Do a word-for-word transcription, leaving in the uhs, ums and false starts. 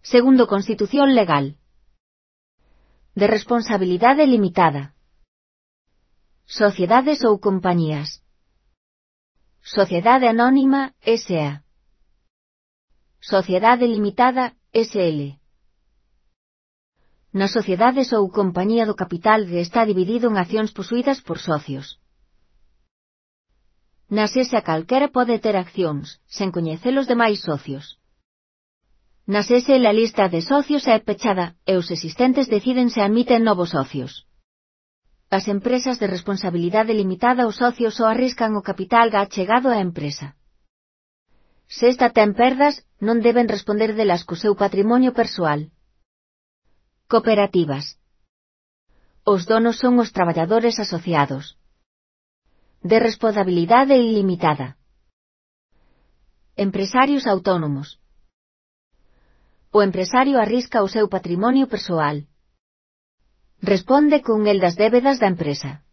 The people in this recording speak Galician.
segundo Constitución legal. De responsabilidade limitada. Sociedades ou compañías. Sociedade anónima, S A Sociedade limitada, S L Nas sociedades ou compañía do capital que está dividido en accións posuídas por socios. Nas S A calquera pode ter accións, sen coñecer os demais socios. Nas S L a lista de socios é pechada, e os existentes deciden se admiten novos socios. As empresas de responsabilidade limitada os socios só arriscan o capital ga achegado á empresa. Se esta ten perdas, non deben responder delas co seu patrimonio persoal. Cooperativas. Os donos son os traballadores asociados. De responsabilidade ilimitada. Empresarios autónomos. O empresario arrisca o seu patrimonio persoal. Responde con el das débedas da empresa.